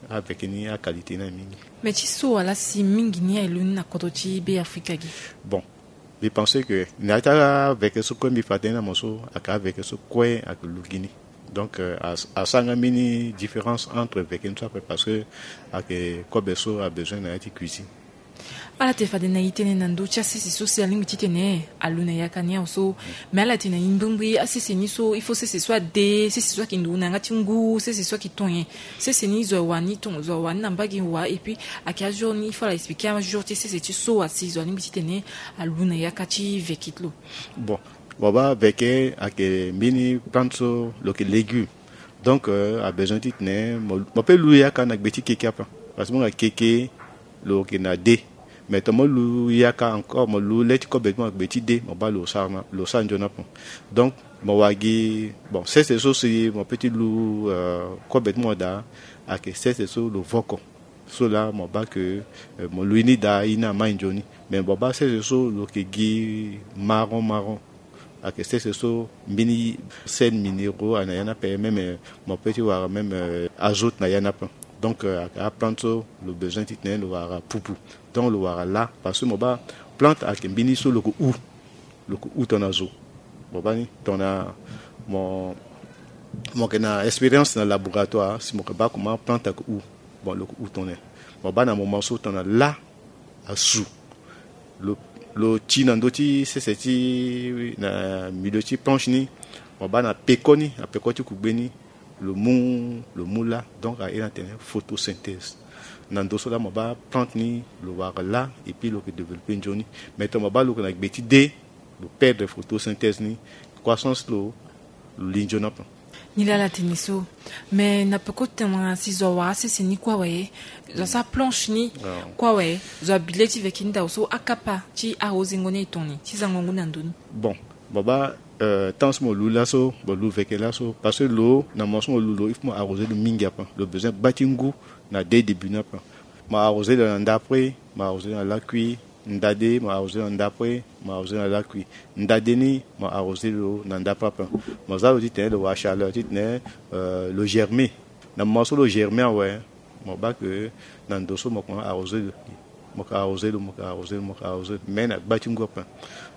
aveke ni aqualité ni aye mingi. Mais ti so wala si mingi ni aye lu ni na kodro ti be afrika gi? Bon, mbi pense que na ya ti aveke so kue mbi fa tënë na mo so ayeke aveke so kue ayeke lu gi ni. Donc asara nga mbeni différence entre veke ni so ape, parce que ayeke kobe so abezoin na ya ti cuisine. Ala te fade na e tënë na ndö ti asese so si alingbi titene alu na yaka ni awe so. Mais ala te na e mbrimbri asese ni so il faut sese so ade, sese so ayeke nduru na yanga ti ngu, sese so ayeke ton nyen? Sese ni zo awa ni ton, zo awa ni na mbage wa, et puis ayeke ajour ni il faut ala expliquer ajour ti sese ti so wa si zo alingbi titene alu na yaka ti veke ti lo. Bon, mo baa veke ayeke mbeni plante so lo yeke légume. Donc abezoin titene mo pe lu yaka na gbe ti keke ape. Parce que mo nga keke lo yeke na de. Mais tongana mo lu yaka encore, mo lu le ti kobe ti mo na gbe ti de, mo baa lo sara na lo sara nzoni ape. Donc mo wara gi, bon, sese so si mo pe ti lu kobe ti mo daa, ayeke sese so lo voko. So laa mo baa ke mo lu ye ni daa, ye ni amai nzoni. Mais mo baa sese so lo yeke gi marron marron. Ayeke sese so mbeni sel minéraux aye na ya ni ape, même mo pe ti wara même azote na ya ni ape. Donc ayeke aplante so lo bezoin titene lo wara pupu. Donc lo wara laa parce que mo baa plante ayeke mbeni so lo yeke hu. Lo yeke hu tongana zo. Mo baa ni tongana mo mo yeke na expérience na laboratoire si mo yeke baa comment plante ayeke hu. Bon, lo yeke hu tongana nyen? Mo baa na moment so tongana laa asu, lo lo ti na ndö ti sese ti na milieu ti planche ni. Mo baa na peko ni, na peko ti kugbe ni, lo mu lo mu laa. Donc aye na tene photosynthèse. Na ndö so laa mo baa plante ni lo wara laa et puis lo yeke développer nzoni. Mais tongana mo baa lo yeke na gbe ti de, lo perdre photosynthèse ni, croissance lo lo li nzoni ape. Ni laa ala tene so. Mais na peko tongana si zo awara sese ni kue awe, zo asara planche ni kue awe, zo abi le ti veke ni daa so akapa ti arosengo ni aye tongana nyen ti zango ngu na ndo ni? Bon, mo baa temps so mo lu laso, mo lu veke laso parce que lo na moment so mo lu lo il faut mo arroser lo mingi ape. Lo bezoin gba ti ngu na de début ni ape. Mo arroser lo na ndapre, mo arroser lo na lakui. Ndade mo arroser na ndapre, mo arroser na lakui. Ndade ni mo arroser lo na ndapre ape. Mo za lo titene lo wara chaleur titene lo germer. Na moment so lo germer awe, mo baa ke na ndo so mo koma arroser lo. Mo ke arroser lo, mo ke arroser lo, mo ke arroser lo, mais na gba ti ngu ape.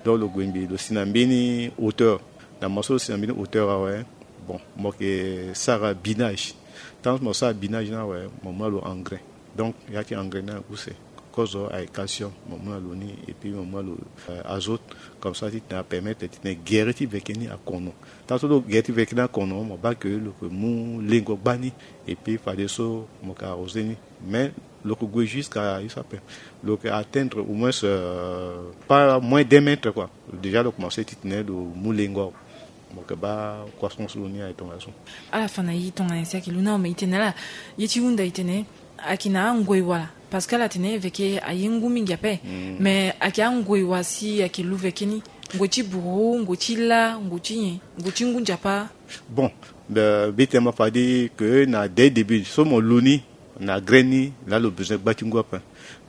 Donc lo gue mbi lo si na mbeni hauteur. Na moment so lo si na mbeni hauteur awe, bon, mo ke sara binage. Tant mo sara binage ni awe, mo mu na lo engrais. Donc ya ti engrais ni aye use. Kozo aye calcium, mo mu na lo ni, et puis mo mu na lo azote. Comme ça titene apermettre titene gere ti veke ni akono. Tant so lo gere ti veke ni akono, mo baa ke lo ke mu lengo gbani. Et puis fadeso mo ke arroser ni. Mais lo ke gue jusqu'à use ape, lo ke atteindre au moins pas moins d'un mètre quoi. Déjà lo commencer titene lo mu lengo awe. Mo ke baa croissance lo ni aye tongaso. Ala fa na ye tongana nyen si ayeke lu na ome? E tene ala ye ti hunda e tene ayeke na angoi wala? Parce que ala tene veke aye ngu mingi ape. Mais ayeke angoi wala si ayeke lu veke ni? Ngoi ti buru, ngoi ti la, ngoi ti nyen? Ngoi ti ngu nzapa? Bon, mbi tene ma fade ke na dès début so mo lu ni, Na graine ni laa lo besoin gba ti ngu ape.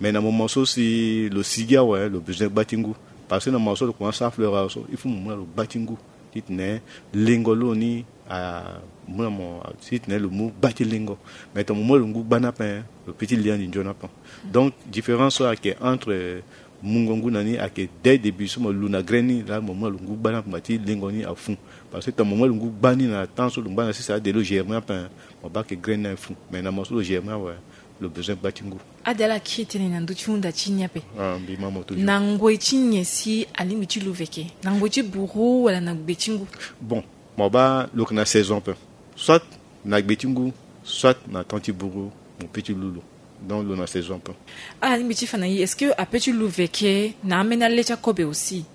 Mais na moment so si lo sigi awe, lo besoin gba ti ngu. Parce que na moment so lo commence asara fleur awe so, il faut mo mu na lo gba ti ngu titene lengo lo ni amu na mo, titene lo mu gba ti lengo. Mais tongana mo mu na lo ngu gba ni ape, lo peut ti lia ni nzoni ape. Donc différence so ayeke entre mungo ngu na ni ayeke dès début so mo lu na graine ni laa mo mu na lo ngu gba ni ape, mo baa ti lengo ni afu. Parce que tongana mo mu na lo ngu gba ni na temps so lo ngba na sese ade lo germer ape, mo baa ke graine ni afu. Mais na moment so lo germer awe, lo besoin gba ti ngu. Ade ala kiri tënë na ndö ti hunda ti ni ape. Ah, mbi ma mo toujours. Na ngoi ti nyen si alingbi ti lu veke? Na ngoi ti buru wala na gbe ti ngu? Bon, mo baa lo yeke na saison ape. Soit na gbe ti ngu, soit na temps ti buru, mo peut ti lu lo. Donc lo na saison ape. Alingbi ti fa na e, est-ce que apeut ti lu veke na ambeni ale ti akobe aussi?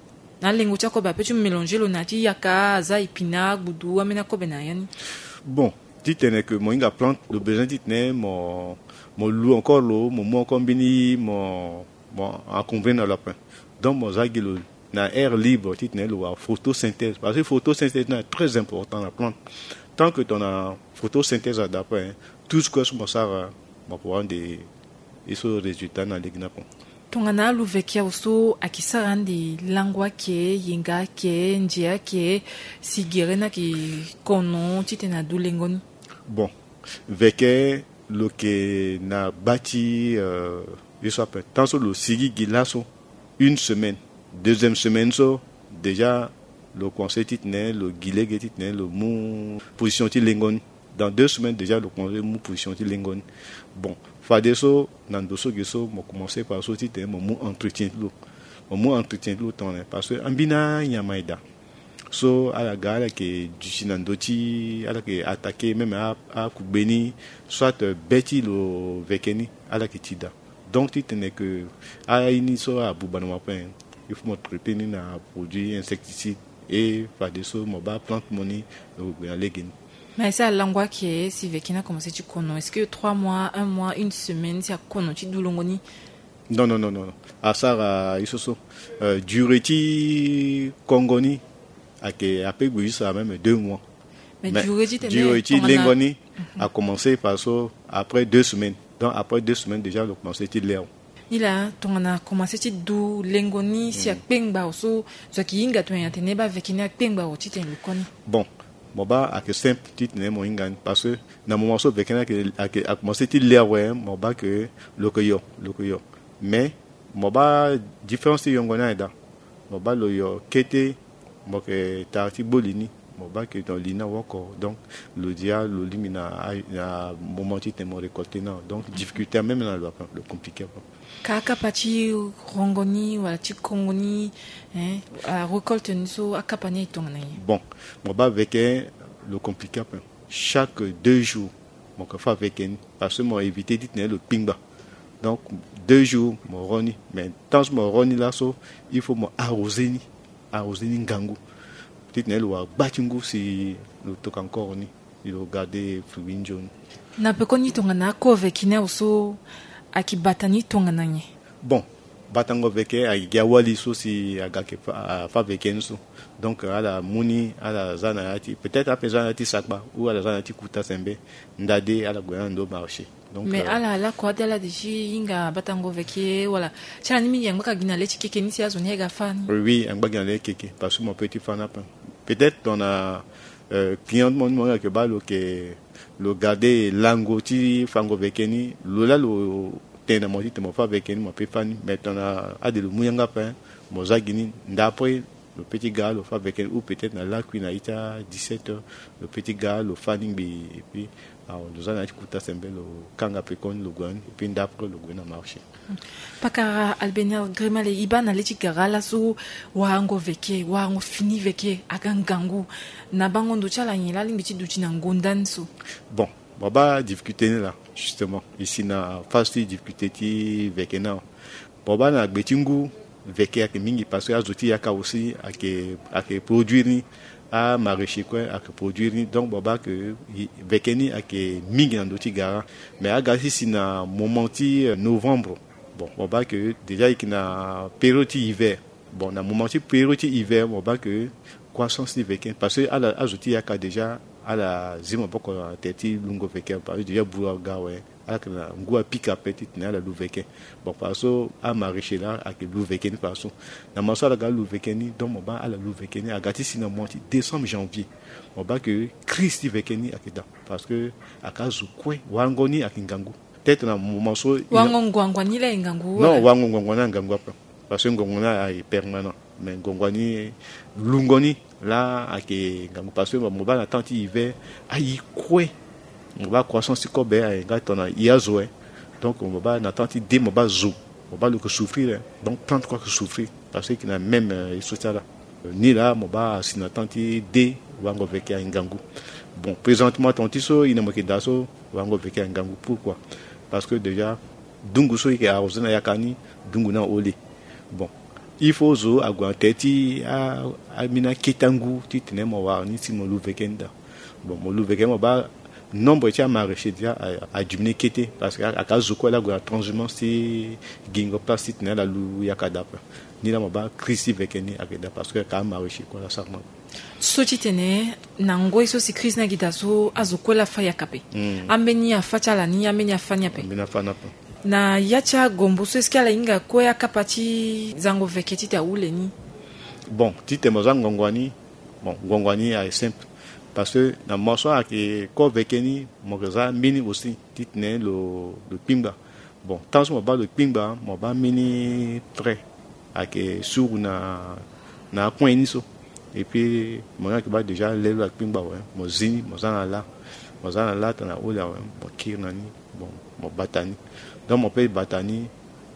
Na alengo ti akobe apeut ti mélanger lo na ya ti yaka, aza épinard, gbudu, ambeni akobe na ya ni? Bon, titene ke mo hinga plante, lo besoin titene mo, mo lu encore lo, mo mu encore mbeni, mo, mo encombré na lo ape. Donc mo za gi lo na air libre titene lo wara photosynthèse. Parce que photosynthèse ni aye très important na plante. Tant que tongana photosynthèse ada ape, hein, tout ce que so mo sara, mo yeke wara ande ye so résultat ni na lege ni ape. Tongana alu veke awe so ayeke sara ande lango ayeke, yenga ayeke, nze ayeke, si gere ni ayeke kono titene adu lengo ni? Bon, veke lo yeke na gba ti, euh, ye so ape. Tant so lo sigi gi laso une semaine, deuxième semaine so déjà lo commencé titene lo gi lege titene lo mu position ti lengo ni. Dans deux semaines déjà lo commencé mu position ti lengo ni. Bon, fadeso na ndo so ge so mo commencé par so titene mo mu entretien ti lo. Mo mu entretien ti lo tongana nyen? Parce que ambeni anyama eda so ala ga ala yeke duti na ndö ti, ala yeke attaqué même a, akugbe ni, soit, euh, be ti lo veke ni ala yeke ti daa. Donc titene ke aye ni so abuba na mo ape, il faut mo traité ni na produit insecticide. Et fadeso mo baa plante mo ni, lo gue na lege ni. Mais si alango ayeke, si veke ni akomanse ti kono, est-ce que trois mois, un mois, une semaine si akono ti du longo ni? Non, non, non, non. Asara ye so so, euh, durée ti kongo ni ayeke, ape gue jusqu'à même deux mois. Mais durée ti lengo ni akomanse faso après deux semaines. Donc après deux semaines déjà lo komanse ti leo. Ni laa tongana akomanse ti du lengo ni, si akpengba awe so, zo ayeke hinga tongana nyen atene baa veke ni akpengba awe titene lo koni? Bon, mo baa ayeke simple titene mo hinga ni, parce que na moment so veke ni ayeke, ayeke, akomanse ti le awe, mo baa ke lo yeke yo, lo yeke yo. Mais mo baa différence ti yongo ni aye daa. Mo baa lo yo kete, mo yeke tara ti gbo li ni, mo baa ke donc li ni awoko. Donc lo dia lo lingbi na, na moment titene mo récolté ni awe. Donc difficulté même na lo ape, lo compliqué ape. Ka akapa ti rongo ni wala ti kongo ni, hein, arécolte ni so akapa ni aye tongana nyen? Bon, mo baa veke lo compliqué ape. Chaque deux jours mo yeke fâ veke ni, parce que mo évité titene lo kpingba. Donc deux jours mo ro ni. Mais tant so mo ro ni laso, il faut mo arrosé ni, arrosé ni ngangu, titene lo wara gba ti ngu si lo toka encore ni, lo garder fruit nzoni. Na pekoni tongana ako veke ni awe so, ayeke bata ni tongana nyen? Bon, batango veke ayeke gi awali so si aga yeke fâ, fâ veke ni so. Donc ala mu ni, ala za na ya ti, peut-être ape za na ya ti sakpa ou ala za na ya ti kuta sembe, ndade ala gue na ndo marché. Donc, mais, euh, ala lakua ti ala de ti hinga batango veke wala? Ti ala ni mingi angbaka gi na le ti keke ni si azo ni aga fâ ni. Oui, oui, angba gi na le ti keke, parce que mo peut ti fâ ni ape. Peut-être tongana, euh, client ti mo ni mo yeke baa lo yeke, lo garder lango ti fango veke ni, lo laa lo tene na mo titene mo fâ veke ni, mo peut fâ ni. Mais tongana ade lo mu yanga ape, mo za gi ni, ndapre lo peut ti ga lo fâ veke ni, ou peut-être na lakui na ita dix-sept heures, lo peut ti ga lo fâ ni ngbii, et puis, ah, lo za na ya ti kuta sembe, lo kanga pekoni, lo gue na ni, et puis ndapre lo gue na marché. Pakara Albénard Grimale, e baa na le ti gara laso, warango veke, warango fini veke aga ngangu. Na bango ndo ti ala nyen laa alingbi ti duti na ngonda ni so? Bon, mo baa difficulté ni laa, justement e si na phase ti difficulté ti veke ni awe. Mo baa na gbe ti ngu, veke ayeke mingi parce que azo ti yaka aussi ayeke, ayeke produire ni. Amaraîchers kue ayeke produire ni. Donc mo baa ke veke ni ayeke mingi na ndö ti gara. Mais aga ti si na moment ti, euh, novembre, bon, mo baa ke déjà e yeke na période ti hiver. Bon, na moment ti période ti hiver mo baa ke croissance ti veke, parce que ala, azo ti yaka déjà ala zi maboko na tere ti lungo veke, parce que déjà buru aga awe, Ala yeke na ngu apika ape titene ala lu veke. Bon, fadeso amaraîcher laa ayeke lu veke ni fadeso. Na mo so ala ga alu veke ni, donc mo baa ala lu veke ni aga ti si na mois ti décembre, janvier. Mo baa ke crise ti veke ni ayeke daa. Parce que ayeke azo kue, wango ni ayeke ngangu. Peut-être na moment so wango ngongo ni laa ayeke ngangu. Non, wango ngongo ni ayeke ngangu ape. Parce que ngongo ni ayeke permanent. Mais ngongo ni, lungo ni laa ayeke ngangu. Parce que mo baa na temps ti hiver, ayi kue, mo baa croissance ti kobe ayeke nga tongana i azo, eh. Donc mo baa na temps ti dé, mo baa zo, mo baa lo yeke souffrir, eh. Donc plante kue ayeke souffrir. Parce que ayeke na même, eh, ye so ti ala. Ni laa mo baa asi na temps ti dé, wango veke ayeke ngangu. Bon, présentement, temps ti so i na mo yeke daa so, wango veke ayeke ngangu. Pourquoi? Parce que déjà dungu so i yeke arrosé na yaka ni, dungu ni ahole. Bon, il faut zo ague na tere ti a, ambeni akete angu titene mo wara ni si mo lu veke ni daa. Bon, mo lu veke, mo baa nombre ti amaraîcher déjà a, adiminué kete, parce que ayeke azo kue laa ague na transhumance ti gingo place titene ala lu yaka daa ape. Ni laa mo baa crise ti veke ni ayeke daa, parce que ayeke amaraîcher kue laa asara mo. So titene na ngoi so si crise ni ayeke daa so, azo kue laa afa yaka ape. Hmm. Ambeni afa ti ala ni, ambeni afa ni ape. Ambeni afa ni ape. Na ya ti agombo so, est-ce que ala hinga kue akapa ti zango veke titene ahule ni? Bon, titene mo za ngongo ni, bon, ngongo ni ayeke simple. Parce que na mo so ayeke ko veke ni, mo yeke za mbeni aussi titene lo, lo kpingba. Bon, tant so mo baa lo kpingba, mo baa mbeni trait ayeke suru na, na akuen ni so. Et puis mo ni ayeke baa déjà lê lo akpingba awe, mo zi ni, mo za na lâ. Mo za na lâ tongana ahole awe, mo kiri na ni, bon, mo bata ni. Donc mo peut bata ni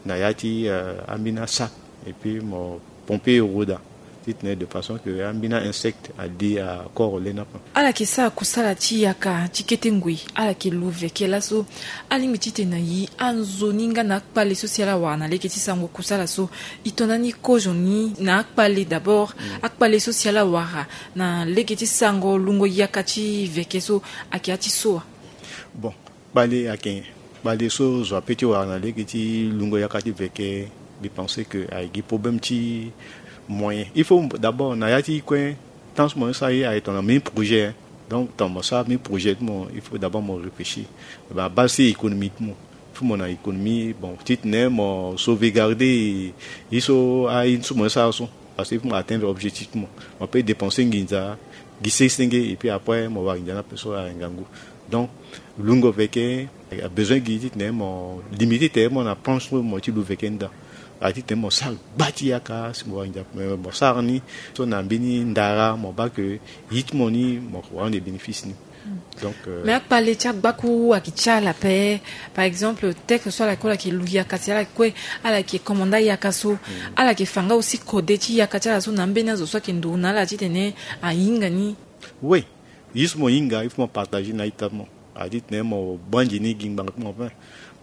na ya ti, euh, ambeni asac. Et puis mo pomper euro daa, titene de façon que ambeni ainsecte ali akoro lê ni ape. Ala yeke sara kusala ti yaka ti kete ngoi, ala yeke lu veke laso. Alingbi titene na i, anzoni nga na akpale so si ala wara na lege ti sango kusala so, i to na ni kozo ni na akpale d'abord. Mm. Akpale so si ala wara na lege ti sango lungo yaka ti veke so, ayeke ya ti so wa? Bon, kpale ayeke nyen? Kpale so zo ape ti wara na lege ti lungo yaka ti veke, mbi pense que ayeke gi problème ti moyen. Il faut d'abord na ya ti kue, tant so mo ni sara ye ayeke tongana mbeni projet. Donc tongana mo sara mbeni projet ti mo, il faut d'abord mo réfléchir. Ba, base ti économie ti mo. Il faut mo na économie, bon, titene mo sauvegarder ye so, aye so mo ni sara so. Parce que il faut mo atteindre objectif ti mo. Mo peut dépenser nginza gi senge senge, et puis après mo wara nginza ni ape so ayeke ngangu. Donc lungo veke abesoin gi titene mo limiter tene mo na planche so mo ti lu veke ni daa. Aye titene mo sara gba ti yaka si mo wara nginza, mais mo sara ni so na mbeni ndara, mo baa ke ye ti mo ni mo rendre bénéfice ni. Donc, euh, mais akpale ti agbaku ayeke ti ala ape. Par exemple, tel que so ala kue, ala yeke lu yaka si ala kue, ala yeke commandant yaka so. Mm. Ala yeke fa nga aussi kode ti yaka ti ala so na ambeni azo so ayeke nduru na ala titene ahinga ni. Oui, ye so mo hinga, il faut mo partager na a-ita ti mo. Aye titene mo banzi ni gi ngbanga ti mo ape.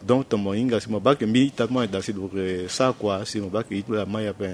Donc tongana mo hinga si mo baa ke mbeni ita ti mo ayeke daa si lo yeke sara kua, si mo baa ke ye ti lo amai ape,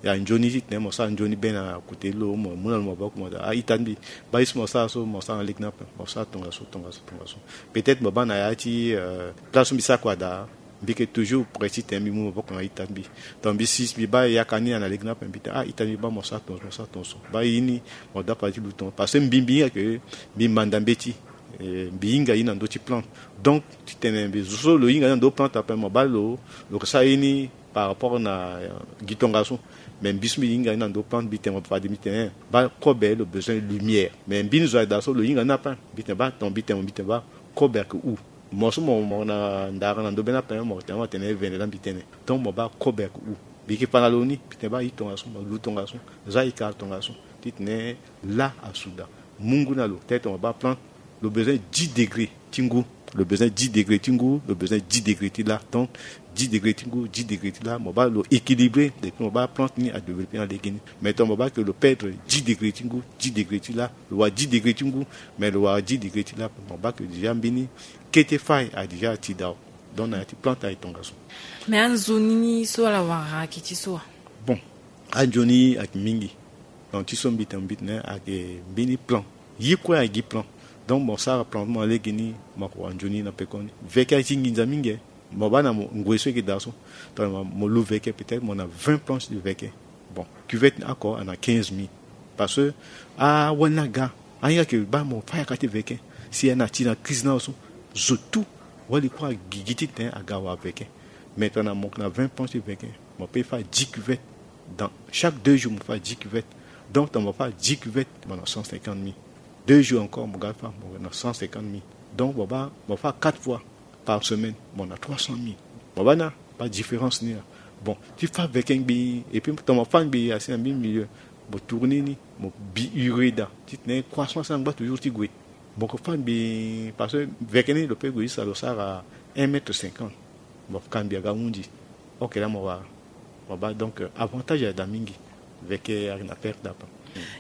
ya nzoni titene mo sara nzoni be na kute ti lo, mo mu na lo maboko mo daa, a-ita ti mbi, baa ye so mo sara so mo sara na lege ni ape, mo sara tongaso, tongaso, tongaso. Peut-être mo baa na ya ti, euh, place so mbi sara kua daa, mbi yeke toujours prêt titene mbi mu maboko na a-ita ti mbi. Donc mbi si mbi baa yaka ni na lege ni ape, mbi tene a-ita ti mbi, baa mo sara tongaso, mo sara tongaso. Baa ye ni mo dapa ti lu tongaso. Parce que mbi, mbi hinga ke mbi manda mbeti. Eh, mbi hinga ye na ndö ti plante. Donc titene mbi zo so lo hinga ye na ndö plante ape, mo baa lo, lo yeke sara ye ni par rapport na, eh, gi tongaso. Mais mbi so mbi hinga ye na ndö plante, mbi tene mo fade, mbi tene, eh, baa kobe lo besoin lumière. Mais mbeni zo ayeke daa so lo hinga ni ape, mbi tene baa ton, mbi tene mo, mbi tene baa kobe ayeke hu. Mo so mo, mo na ndara na ndö be ni ape, mo tene, mo tene vende laa mbi tene. Donc mo baa kobe ayeke hu. Mbi yeke fa na lo ni, mbi tene baa ye tongaso, mo lu tongaso, za ye kara tongaso. Titene lâ asu daa. Mu ngu na lo, tete mo baa plante, lo besoin dix degrés ti ngu, lo besoin dix degrés ti ngu, lo besoin dix degrés ti lâ. Donc dix degrés ti ngu, dix degrés ti lâ, mo baa lo équilibré, et puis mo baa plante ni adéveloppé na lege ni. Mais tongana mo baa ke lo perdre dix degrés ti ngu, dix degrés ti lâ, lo wara dix degrés ti ngu, mais lo wara dix degrés ti lâ, mo baa ke déjà mbeni kete fâ aye déjà ati daa. Donc na ya ti plante ayeke tongaso. Mais anzoni ni so ala wara ayeke ti so wa? Bon, anzoni ayeke mingi. Donc ti so mbi tene, mbi tene ayeke mbeni plan. Ye kue ayeke gi plan. Donc mo sara plan ti mo na lege ni, mo yeke wara nzoni na pekoni. Veke aye ti nginza mingi. Mo baa na mo ngoi so e yeke daa so, tongana mo lu veke, peut-être mo na vingt planches de veke. Bon, cuvette ni oko ana quinze mille. Parce que awali ni aga, ahinga ke baa mo fâ yaka ti veke. Si ana ti na crise ni awe so, zo tout Wali kue agigi titene aga wa veke. Maintenant mo yeke na vingt points ti veke, mo pe fa dix cuvettes. Dans chaque deux jours mo fa dix cuvettes. Donc tongana mo fa dix cuvettes, mo na cent cinquante mille. Deux jours encore mo ga fa, mo na cent cinquante mille. Donc mo baa mo fa quatre fois par semaine, mo na trois cent mille. Mo baa na, pas différence ni la. Bon, ti fa veke ngbii, et puis tongana mo fa ngbii asi na mbi milieu, mo tourner ni, mo bi urée daa titene croissance angba toujours ti gue. Mo ke fa ngbii parce que veke ni lo pe gue isa lo sara un mètre cinquante. Mo ka ngbii aga hundi. Ok, la mo wara. Mo baa donc, euh, avantage ayeke daa mingi. Veke ayeke na perte d'apa.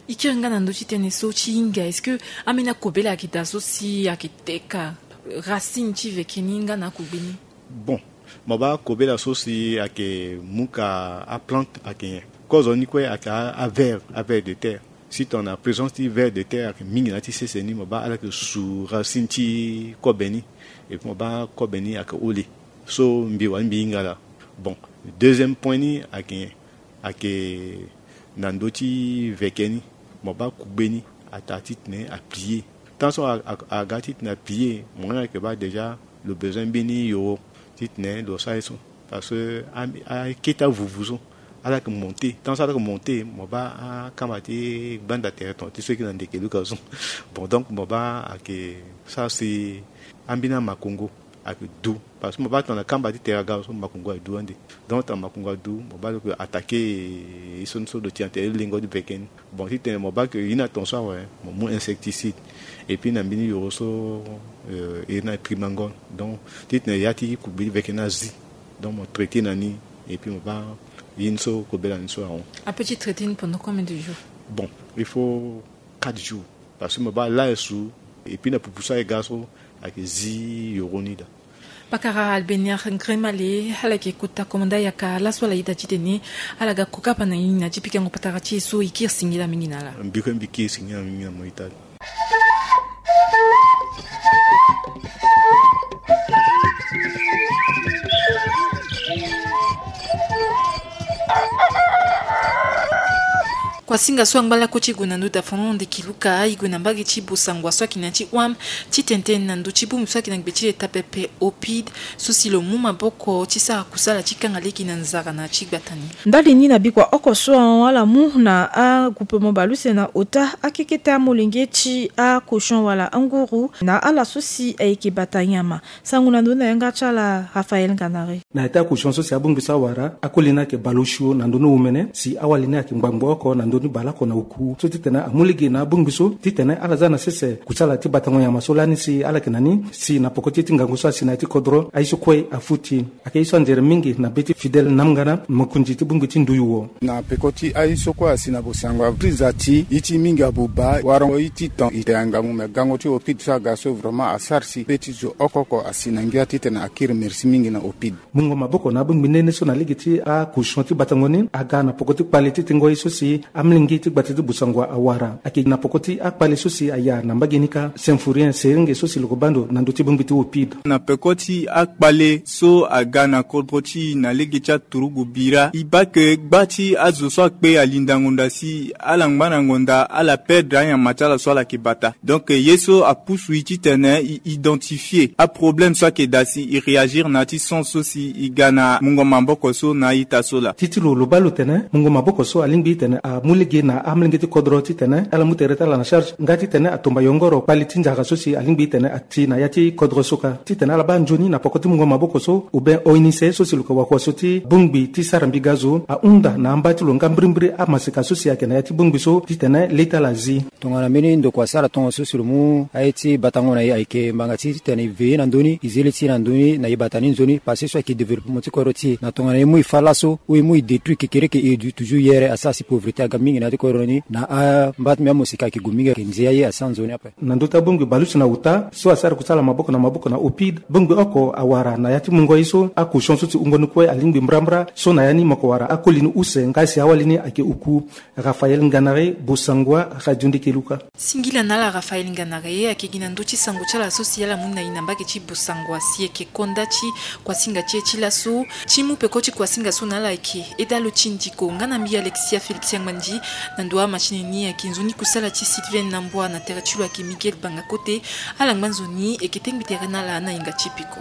E kiri nga na ndö ti tënë so ti hinga, est-ce que ambeni akobela ayeke daa so si ayeke teka racine ti veke ni nga na akugbe ni? Bon, mo baa kobela so si ayeke mu ka aplante ayeke nyen? Kozo ni kue ayeke a, a vers, a vers de terre. Si tongana présence ti vers de terre ayeke mingi na ya ti sese ni, mo baa ala yeke su racine ti kobe ni. Et puis mo baa kobe ni ayeke hole. So mbi wani mbi hinga laa. Bon, deuxième point ni ayeke nyen? Ayeke na ndö ti veke ni, mo baa kugbe ni ataa titene aplier. Tant so a, a, aga titene aplier, mo nga ayeke baa déjà lo besoin mbeni yoro titene lo sara ye so. Parce que a, akete avuvu so ala yeke monter. Tant so ala yeke monter, mo baa akamba ti gbanda tere ton ti so eke na ndeke luka so. Bon, donc mo baa ayeke sara si ambeni amakongo ayeke du. Parce que mo baa tongana kamba ti tere aga so, makongo adu ande. Donc tongana makongo adu, mo baa lo yeke attaquer ye so ni so lo ti na tere lengo ti veke ni. Bon, titene mo baa ke ye ni na ton so awe, mo mu insecticide. Et puis na mbeni yoro so, euh, iri na trimangol. Donc titene ya ti kugbe ti veke ni azi. Donc mo traiter na ni. Et puis mo baa ye ni so kobela ni so ahon. Ape ti traiter ni pendant combien de jours? Bon, il faut quatre jours. Parce que mo baa laa e su. Et puis na pupu so aye ga so ayeke zi yoro ni daa. Pakara Albeniar Ngremale, ala yeke kota komanda yaka laso ala ita titene ala ga kokapa na ini na ti pikango patara ti e so. E kiri singila mingi na ala. Mbi kue mbi kiri singila mingi na mo ita. Kuasinga so angba lakue ti e gue na ndö dafono ndeki luka, e gue na mbage ti Bosangwa so ayeke na ya ti Ouham, ti tene tënë na ndö ti bongbi so ayeke na gbe ti leta pepe OPID, so si lo mu maboko ti sara kusala ti kanga lege na nzara na ya ti gbata ni. Ndali ni na bikua oko so ahon ala mu na agroupement baleuse na ota akekete amolenge ti akochon wala anguru na ala so si ayeke bata nyama. Sango na ndö ni na yanga ti ala Raphaël Nganare. Na ya ti akochon so si abongbi so awara, akoli ni ayeke baleosio na ndö ni omene, si awali ni ayeke ngbangbo oko na ndö ni baleoko na oku. So titene amu lege na abongbi so titene ala za na sese kusala ti batango nyama so lani si ala yeke na ni, si na poko ti ye ti ngangu so asi na ya ti kodro, aye so kue afuti. Ayeke ye so anzere mingi na be ti Fidèle Namngana, mokonzi ti bongbi ti Nduyu wo. Na peko ti aye so kue asi na Bosangwa, ti za ti ye ti mingi abuba, wara ye ti ton e te angangu, me gango ti OPID so aga so vraiment asara si be ti zo oko oko asi na ngia titene akiri merci mingi na OPID. Mungo maboko na abongbi nene so na lege ti akochon ti batango ni aga na poko ti kpale ti tengo ye so si amolenge ti gbata ti Bosangwa awara. Ayeke na poko ti akpale so si aya na mbage ni kâ, Symphorien Serenge so si lo ke baa ndo na ndö ti bongbi ti OPID. Na peko ti akpale so aga na kodro ti e na lege ti aturugu bira, e baa ke gba ti azo so akpe alinda ngonda si ala ngba na ngonda ala perdre anyama ti ala so ala yeke bata. Donc ye so apusu e titene e identifier aproblème so ayeke daa si e réagir na ya ti sens so si e ga na mungo maboko so na a-ita so laa. Ti ti lo, lo baa lo tene mungo maboko so alingbi titene amu lege na amolenge ti kodro titene ala mu tere ti ala na charge, nga titene atomba yongoro kpale ti nzara so si alingbi titene ati na ya ti kodro so kâ. Titene ala baa nzoni na poko ti mungo maboko so, ou bien ONICE so si lo yeke wakua so ti bongbi ti sara mbi ga zo ahunda na amba ti lo nga mbirimbiri amaseka so si ayeke na ya ti bongbi so titene le ti ala azi. Tongana mbeni ndokua asara tongaso si lo mu aye ti batango na e ayeke ngbanga ti titene e veiller na ndö ni, e zi le ti e na ndö ni na e bata ni nzoni, parce que so ayeke développement ti kodro ti e. Na tongana e mu e fâ laso ou e mu e détruire kekereke e du toujours yere, asara si pauvreté aga mingi na ya ti kodro ni. Na amba ti mbi amosika ayeke gue mingi, ayeke nzia ye asi anzoni ape. Na ndö ti abongbi baleuse na ota so asara kusala maboko na maboko na OPID, bongbi oko awara na ya ti mungo ye so akochon so si wungo ni kue alingbi mbrambra, so na ya ni mo yeke wara akoli ni use nga si awali ni ayeke oku. Raphaël Nganare, Bosangwa, Radio Ndeke Luka. Singila na ala Raphaël Nganare, ayeke gi na ndö ti sango ti ala so si ala mu na e na mbage ti Bosangwa si e yeke konda ti kuasinga ti e ti laso. Ti mu peko ti kuasinga so na ala ayeke Edalo Tindiko nga na mbi Alexia Félix Yangmandi. Na ndo wa match ni, ayeke nzoni kusala ti Sylvain Nambwa, na tere ti lo ayeke Miguel Bangakote. Ala ngba nzoni, e yeke tengbi tere na ala na hinga ti peko.